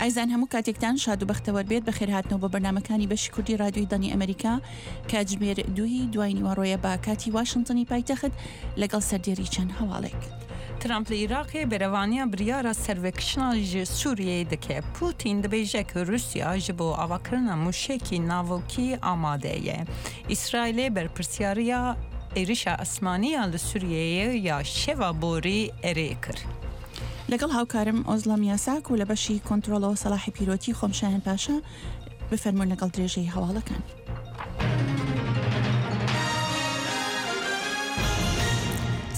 ئایزان هەموو کاتێکتان شاد و بەختەوەر بێت بەخێرهاتنەوە بۆ بەرنامەکانی بەشی کوردی رادیۆی دەنگی ئەمریکا کاتژمێر دووی دوای نیوەڕۆیە بە کاتی واشنتنی پایتەخت لەگەڵ سەردێری چەند هەواڵێک. ترامپ li Iraqê berevaniya biryara servekişina ji Sûriyeyê dike. Putin dibêje ku Rûsya ji bo avakirina mûşekî navokî amade ye. Îsraîlê berpirsyariya êrişa esmanî ya li Sûriyeyê ya şeva borî erê kir. لەگەڵ هاوکارم ئۆزلەم یاساک و لە بەشی کۆنترۆڵەوە سەڵاحی پیرۆتی خۆم شایان پاشا بفەرموون لەگەڵ درێژەی هەواڵەکان.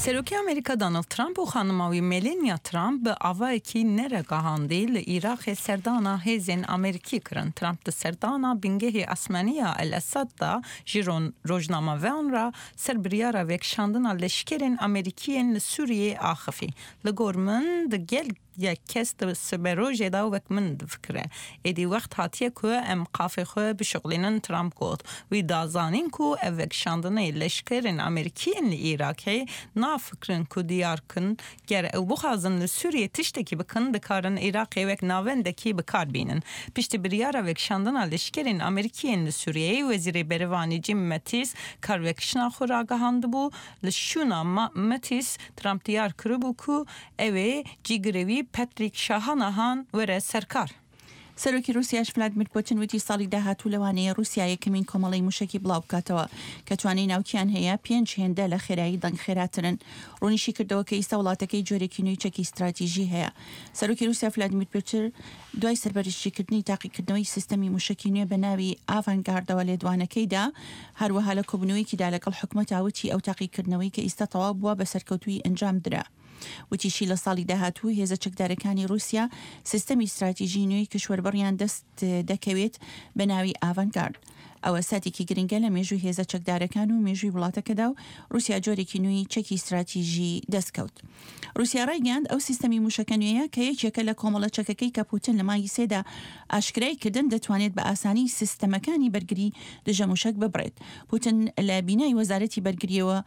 Serokê Amerîka Donald Trump û xanima wî Melania Trump bi avayekî neregihandî li Iraqê serdana hêzên Amerîkî kirin. Trump di serdana bingehê esmanî ya El Esad de ji rojnamevan re ser biryara vekişandina leşkerên Amerîkî yên li Sûriyeyê axifî. Li gor min di gel yek kes di siberojê de wek min difikire. Êdî wext hatiye ku em qafê xwe bişuxlînin Trump got. Wî da zanîn ku ev vekişandinê leşkerên Amerîkî yên li Îrakê nafikirin ku diyar kin ger ew bixwazin li Sûriyê tiştekî bikin dikarin Îraqê wek navendekî bi kar bînin. Piştî biryara vekişandina leşkerên Amerîkî yên li Sûriyeyê Wezîrê Berivanî Jim Mattis karvekişina xwe ragihandibû. Li şûna Mattis Trump diyar kiribû ku ew ê cîgirê wî Patrick Shahanahan were ser kar. سەرۆکی ڕووسیاش ڤلادمیر پوتن وتی ساڵی داهاتوو لەوانەیە ڕووسیا یەکەمین کۆمەڵەی موشەکی بڵاوبکاتەوە کە توانای ناوکیان هەیە پێنج هێندە لە خێرایی دەنگ خێراترن. ڕوونیشیکردەوە کە ئیستا وڵاتەکەی جۆرێکی نوێی چەکی ستراتیژی هەیە. سەرۆکی ڕووسیا ڤلادمیر پوتر دوای سەرپەرشتیکردنی تاقیکردنەوەی سیستەمی موشەکی نوێ بە ناوی ئاڤانگاردەوە لێدوانەکەی دا، هەروەها لە کۆبوونەوەیەکیدا لەگەڵ حکومەتا وتی ئەو تاقیکردنەوەی کە ئیستا تەواو بووە بە سەرکەوتوویی ئەنجام درا. وتیشی لە ساڵی داهاتوو هێزە چەکدارەکانی ڕووسیا سیستەمی ستراتیژی نوێی کیشوەربڕیان دەست دەکەوێت بە ناوی ئاڤانگارد. ئەوە ساتێکی گرنگە لە مێژووی هێزە چەکدارەکان و مێژووی وڵاتەکەدا و ڕووسیا جۆرێکی نوێی چەکی ستراتیژی دەستکەوت. ڕووسیا ڕایگەیاند ئەو سیستەمی مووشەکە نوێیە کە یەکێکە لە کۆمەڵە چەکەکەی کە پوتن لە مانگی سێدا ئاشکرای کردن دەتوانێت بە ئاسانی سیستەمەکانی بەرگری دژە مووشەک ببڕێت. پوتن لە بینای وەزارەتی بەرگرییەوە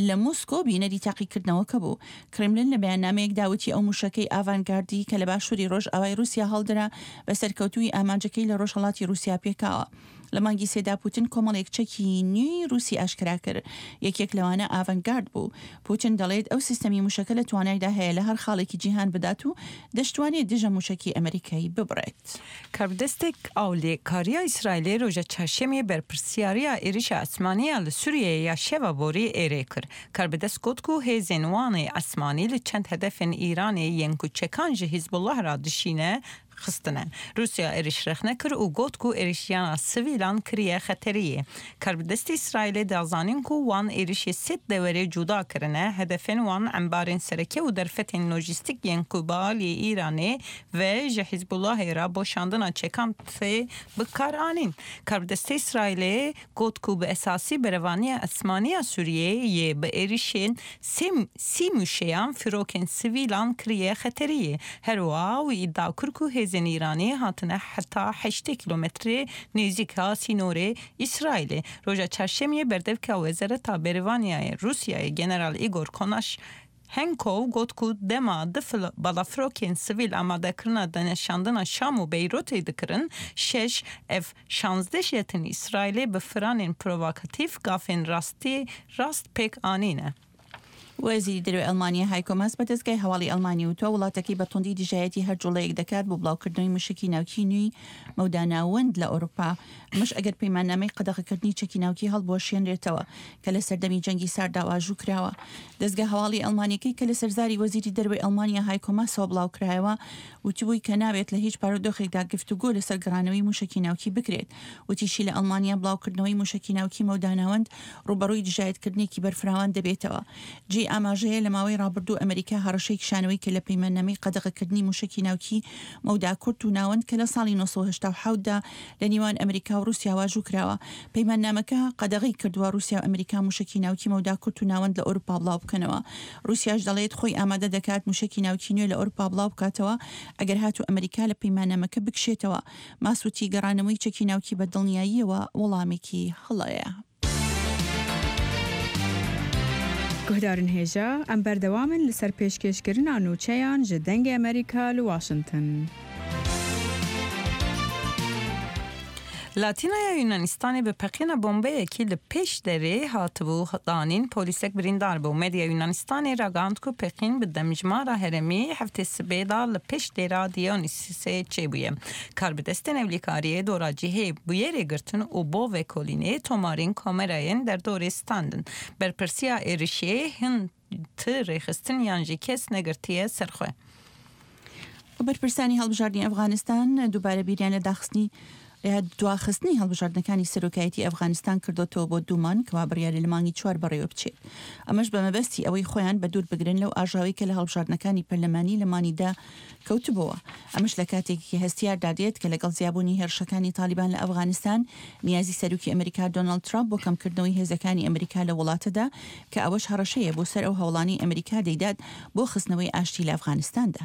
لە مۆسکۆ بینەری تاقیکردنەوەکە بوو. کرملن لە بەیاننامەیەکدا وتی ئەو مووشەکەی ئاڤانگاردی کە لە باشووری ڕۆژئاوای ڕووسیا هەڵدرا بە سەرکەوتوویی ئامانجەکەی لە ڕۆژهەڵاتی ڕووسیا پێکاوە. لە مانگی سێدا پوتن کۆمەڵێک چەکی نوێی ڕووسی ئاشکرا کرد، یەکێک لەوانە ئاڤانگارد بوو. پوتن دەڵێت ئەو سیستەمی مووشەکە لە توانایدا هەیە لە هەر خاڵێکی جیهان بدات و دەشتوانێت دژە مووشەکی ئەمریکای ببڕێت. Karbidestek Ewlekariya Îsraîlê roja Çarşemiyê berpirsyariya êrişa esmanî ya li Sûriyeyê ya şeva borî êrê kir. Karbidest got ku hêzên wan ê esmanî li çend hedefên Îranê yên ku çekan ji Hîzbullah re dişîne xistine. Rûsya êriş rexne kir û got ku êrişiyana sivîlan kiriye xeteriyê. Karbidestê Îsraîlê da zanîn ku wan êrişê sê deverê cuda kirine, hedefên wan embarên sereke û derfetên lojîstîk yên ku bi aliyê Îranê ve ji Hîzbulahê re bo şandina çekan tê bikaranîn. Karbidestê Îsraîlê got ku bi esasî berevaniya esmanî ya Sûriyeyê yê bi êrişên sê sî mûşeyan firokên sivîlan kiriye xeteriyê. Her wiha wî îdia kir ku hêzên Îranê hatine heta 80 kîlometrê nêzîka sînorê Îsraîlê. Roja Çarşemiyê berdevka Wezareta Berêvaniyayê Rûsyayê General Igor Konaş Henkov got ku dema di balafirokên sivîl amadekirina deneşandina Şam û Beyrûtê dikirin, şeş ev şanzdeh jetên Îsraîlê bi firanên provokatîf gafên rastî rast pêk anîne. وەزیری دەرەوەی ئەڵمانیا هایکۆ ماس بە دەزگای هەواڵی ئەڵمانی وتووە، وڵاتەکەی بە توندی دژایەتی هەر جوڵەیەک دەکات بۆ بڵاوکردنەوەی موشەکی ناوکیی نوێی مەودا ناوەند لە ئەوروپا، ئەمەش ئەگەر پەیماننامەی قەدەغەکردنی چەکی ناوکی هەڵبوەشێنرێتەوە کە لە سەردەمی جەنگی سارددا واژوو کراوە. دەزگا هەواڵی ئەڵمانیەکەی کە لەسەر زاری وەزیری دەرەوەی ئەڵمانیا هایکۆ ماسەوە بڵاوکرایەوە وتبووی کە نابێت لە هیچ بارودۆخێکدا گفتوگۆ لەسەر گەڕانەوەی موشەکی ناوکی بکرێت. وتیشی لە ئەڵمانیا بڵاوکردنەوەی موشەکی ناوکی مەودا ناوەند ڕووبەڕووی دژایەتکردنێکی بەرفراوان دەبێتەوە. جێی ئاماژەیە لە ماوەی ڕابردوو ئەمریکا هەڕەشەی کشانەوەی کرد لە پەیماننامەی قەدەغەکردنی موشەکی ناوکی مەودا کورت و ناوەند کە لە ساڵی 987 دا لە نێوان ئەمریکا و ڕووسیا واژوو کراوە. پەیماننامەکە قەدەغەی کردووە ڕووسیا و ئەمریکا موشەکی ناوکی مەودا کورت و ناوەند لە ئەوروپا بڵاو بکەنەوە. ڕووسیاش دەڵێت خۆی ئامادە دەکات موشەکی ناوکی نوێ لە ئەوروپا بڵاو بکاتەوە ئەگەر هاتوو ئەمریکا لە پەیماننامەکە بکشێتەوە. ماس وتی گەڕانەوەی چەکی ناوکی بە دڵنیاییەوە وەڵامێکی هەڵەیە. Guhdarên hêja, em berdewam in li ser pêşkêşkirina nûçeyan ji Dengê Amerîka li Washington. Li Atînaya Yûnanistanê bi peqîna bombeyekî li pêş derê hatibû danîn polîsek birîndar bû. Medya Yûnanistanê ragihand ku peqîn bi demjimara herêmî heftê sibê da li pêş dêra Dionysisê çêbûye. Karbidestên ewlîkariyê dora cihê bûyerê girtin û bo vekolînê tomarên kamerayên derdorê standin. Berpirsiya êrişê hin ti rêxistin yan jî kes negirtiye ser xwe. بەرپرسانی هەڵبژاردنی ئەفغانستان دووبارە بیریان لە داخستنی دواخستنی هەڵبژاردنەکانی سەرۆکایەتی ئەفغانستان کردۆتەوە بۆ دوو مانگ کەوا بڕیارە لە مانگی چوار بەڕێوە بچێت ئەمەش بە مەبەستی ئەوەی خۆیان بە دوور بگرن لەو ئاژاوەی کە لە هەڵبژاردنەکانی پەرلەمانی لە مانی دە کەوتبۆوە ئەمەش لە کاتێکی هەستیاردا دێت کە لەگەڵ زیابوونی هێرشەکانی تالیبان لە ئەفغانستان نیازی سەرۆکی ئەمریکا دۆناڵد ترامپ بۆ کەمکردنەوەی هێزەکانی ئەمریکا لە وڵاتەدا کە ئەوەش هەڕەشەیە بۆ سەر ئەو هەوڵانەی ئەمریکا دەیدات بۆ خستنەوەی ئاشتی لە ئەفغانستاندا.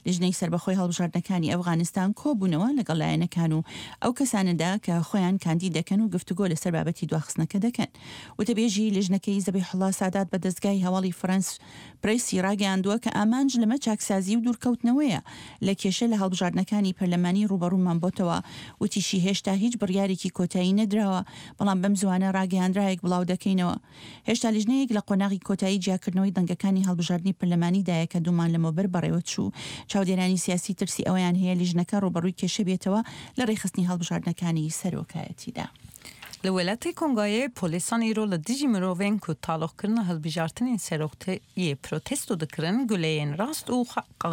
لیژنەی سەربەخۆی هەڵبژاردنەکانی ئەفغانستان کۆبوونەوە لەگەڵ لایەنەکان و ئەو کەسانەدا کە خۆیان کاندید دەکەن و گفتوگۆ لەسەر بابەتی دواخستنەکە دەکەن. وتەبێژی لیژنەکەی زەبیحوڵا سادات بە دەزگای هەواڵی فرەنس پرێسی ڕاگەیاندووە کە ئامانج لەمە چاکسازی و دوورکەوتنەوەیە لە کێشە لە هەڵبژاردنەکانی پەرلەمانی ڕووبەڕوومان بۆتەوە. وتیشی هێشتا هیچ بڕیارێکی کۆتایی نەدراوە، بەڵام بەم زووانە ڕاگەیاندراوێک بڵاودەکەینەوە. هێشتا لیژنەیەک لە قۆناغی کۆتایی جیاکردنەوەی دەنگەکانی هەڵبژاردنی پەرلەمانیدایە کە دوو مانگ لەمەوبەر بەڕێوەچوو. چاودێرانی سیاسی ترسی ئەوەیان هەیە لیژنەکە ڕووبەڕووی کێشە بێتەوە لە ڕێکخستنی هەڵبژاردنەکانی سەرۆکایەتیدا. Li welatê Kongayê polêsan îro li dijî mirovên ku taloqkirina hilbijartinên seroktiyê protesto dikirin guleyên rast û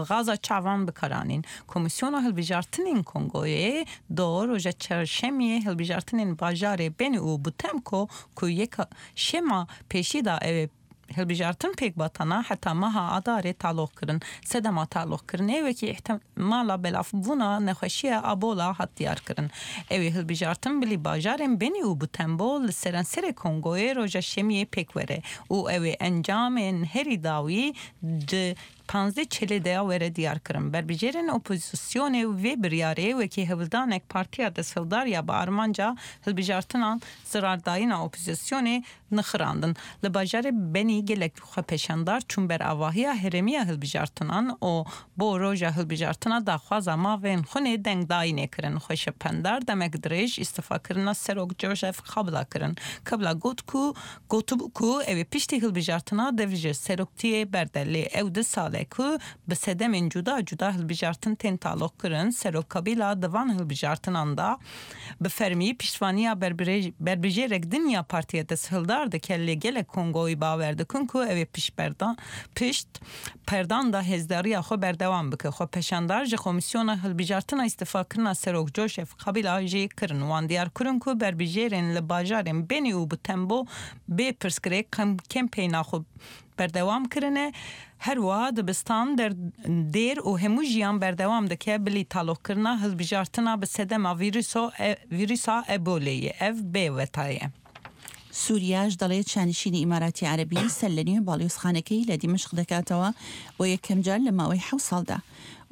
xaza çavan bikaranîn. Komîsyona Hilbijartinên Kongoyê do roja çarşemiyê hilbijartinên bajarê Beni û Butemko ku yeka şema pêşî da ew ê hilbijartin pêk batana heta meha Adarê taloq kirin. Sedema taloqkirinê wekî îhtimala belavbûna nexweşiya Abola hat diyarkirin. Ew ê hilbijartin bilî bajarên Beni û Butembo li seranserê Kongoyê roja şemiyê pêk were û ew ê encamên herî dawî di Panzdeh çelê de were diyarkirin. Berbijêrên opozîsyonê vê biryarê wekî hewldanek partiya desthildar ya bi armanca hilbijartinan zirardayîna opozîsyonê nixirandin. Li bajarê Benî gelek xwepêşandar çûn ber avahiya herêmiya hilbijartinan û bo roja hilbijartina daxwaza mavên xwinê dengdayînê kirin. Xweşependar demek dirêj îstifakirina Serok Joseph Kabila kirin. Kabila got ku gotibû ku ew ê piştî hilbijartina dev ji seroktiyê berde lê ew di sal e ku bi sedemên cuda cuda hilbijartin tên taloqkirin. Serok Kabila di van hilbijartinan de bi fermî piştvaniya berbijêrek din ya partiya desthildar dike lê gelek Kongoyî bawer dikin ku ew ê pişt perdan da hêzdariya xwe berdewam bike. Xwepêşandar ji Komîsyona Hilbijartina Îstifakirina Serok Joseph Kabila jî kirin. Wan diyar kirin ku berbijêrên li bajarên Beni û Butembo bê pirsgirêk kempeyna xwe berdewam kirine. Her wiha dibistan, dêr û hemû jiyan berdewam dike bilî taloqkirina hilbijartina bi sedema vîrusa Eboleyê. Ev bê weta ye. سوریاش دەڵێت شانشینی ئیماراتی عەرەبی سەرلەنوێ باڵیۆزخانەکەی لە دیمەشق دەکاتەوە بۆ یەکەمجار لە ماوەی حەوت ساڵدا.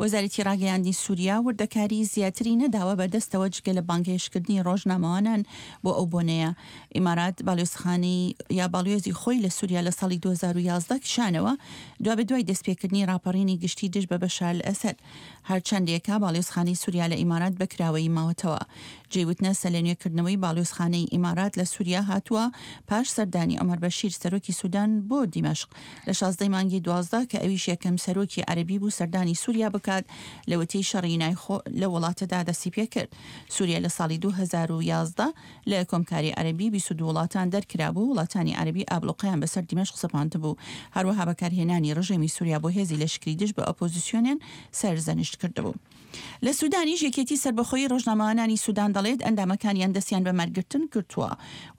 وەزارەتی ڕاگەیاندنی سوریا وردەکاری زیاتری نەداوە بە دەستەوە جگە لە بانگهێشتکردنی ڕۆژنامەوانان بۆ ئەو بۆنەیە. ئیمارات باڵیۆزخانەی یا باڵیۆزی خۆی لە سوریا لە ساڵی 2011 کشانەوە دوابەدوای دەستپێکردنی ڕاپەڕینی گشتی دژ بە بەشار ئەسەد. هەرچەندێکە باڵیۆزخانەی سوریا لە ئیمارات بە کراوەیی ماوەتەوە. جێی وتنە سەرلەنوێکردنەوەی باڵیۆزخانەی ئیمارات لە سوریا هاتووە پاش سەردانی عومەر بەشیر سەرۆکی سودان بۆ دیمەشق لە 16 مانگی 12 کە ئەویش یەکەم سەرۆکی عەرەبی بوو سەردانی سوریا بکات لەوەتەی شەڕی نایخۆ لە وڵاتەدا دەستی پێکرد. سوریا لە ساڵی 2011 لە کۆمکاری عەرەبی 22 وڵاتان دەرکرابوو، وڵاتانی عەرەبی ئابڵوقەیان بەسەر دیمەشق سەپاندبوو، هەروەها بەکارهێنانی ڕژێمی سوریا بۆ هێزی لەشکری دژ بە ئۆپۆزیسیۆنیان سەرزەنشت کردبوو. لە سودانیش یەکێتی سەربەخۆیی ڕۆژنامەوانانی سودان دەڵێت ئەندامەکانیان دەستیان بە مانگرتن گرتووە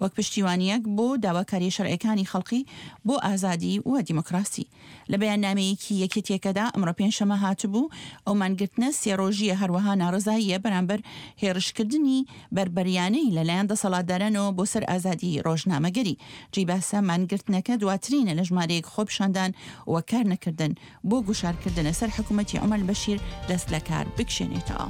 وەک پشتیوانییەک بۆ داواکارییە شەرعیەکانی خەڵکی بۆ ئازادی و دیموکراسی. لە بەیاننامەیەکی یەکێتییەکەدا ئەمڕۆ پێنجشەممە هاتبوو، ئەو مانگرتنە سێ ڕۆژییە هەروەها ناڕەزاییە بەرامبەر هێڕشکردنی بەربەریانەی لەلایەن دەسەڵاتدارانەوە بۆ سەر ئازادی ڕۆژنامەگەری. جێی باسە مانگرتنەکە دواترینە لە ژمارەیەک خۆپیشاندان و کارنەکردن بۆ گوشارکردنە سەر حکومەتی عومەر بەشیر دەست لەکار بکشێنێتەوە.